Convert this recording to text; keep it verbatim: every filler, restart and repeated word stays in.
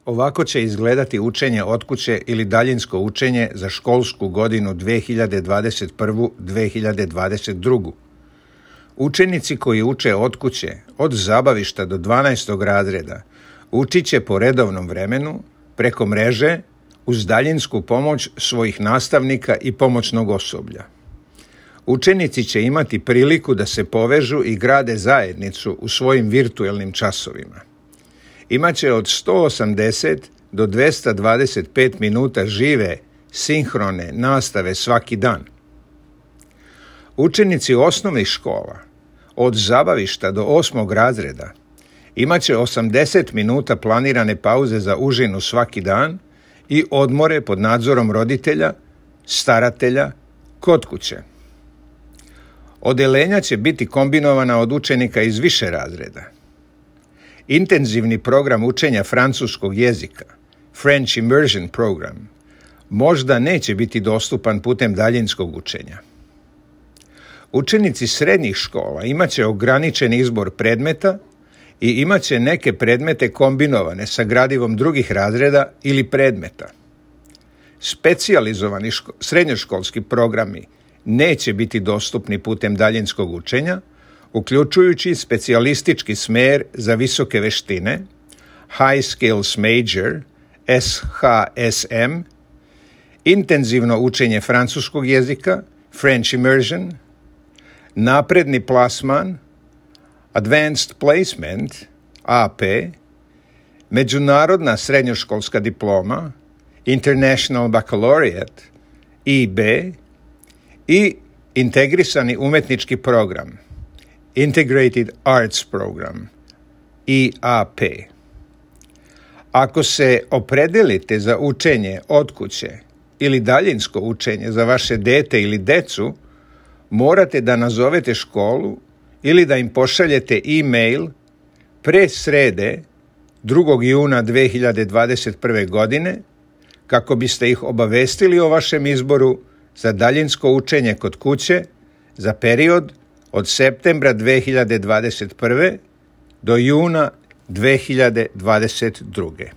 Ovako će izgledati učenje od kuće ili daljinsko učenje za školsku godinu dve hiljade dvadeset prvu - dve hiljade dvadeset drugu. Učenici koji uče od kuće, od zabavišta do dvanaestog razreda, učit će po redovnom vremenu, preko mreže, uz daljinsku pomoć svojih nastavnika i pomoćnog osoblja. Učenici će imati priliku da se povežu i grade zajednicu u svojim virtuelnim časovima. Imaće od sto osamdeset do dvesta dvadeset pet minuta žive, sinhrone nastave svaki dan. Učenici osnovnih škola, od zabavišta do osmog razreda, imaće osamdeset minuta planirane pauze za užinu svaki dan i odmore pod nadzorom roditelja, staratelja, kod kuće. Odeljenja će biti kombinovana od učenika iz više razreda. Intenzivni program učenja francuskog jezika, French Immersion Program, možda neće biti dostupan putem daljinskog učenja. Učenici srednjih škola imaće ograničen izbor predmeta i imaće neke predmete kombinovane sa gradivom drugih razreda ili predmeta. Specijalizovani ško- srednjoškolski programi neće biti dostupni putem daljinskog učenja, uključujući specijalistički smer za visoke veštine, High Skills Major, S H S M, intenzivno učenje francuskog jezika, French Immersion, napredni plasman, Advanced Placement, A P, međunarodna srednjoškolska diploma, International Baccalaureate, I B, i integrisani umetnički program, Integrated Arts Program, I A P. Ako se opredelite za učenje od kuće ili daljinsko učenje za vaše dete ili decu, morate da nazovete školu ili da im pošaljete e-mail pre srede drugog juna dve hiljade dvadeset prve. godine kako biste ih obavestili o vašem izboru za daljinsko učenje kod kuće za period od septembra dve hiljade dvadeset prve. do juna dve hiljade dvadeset druge.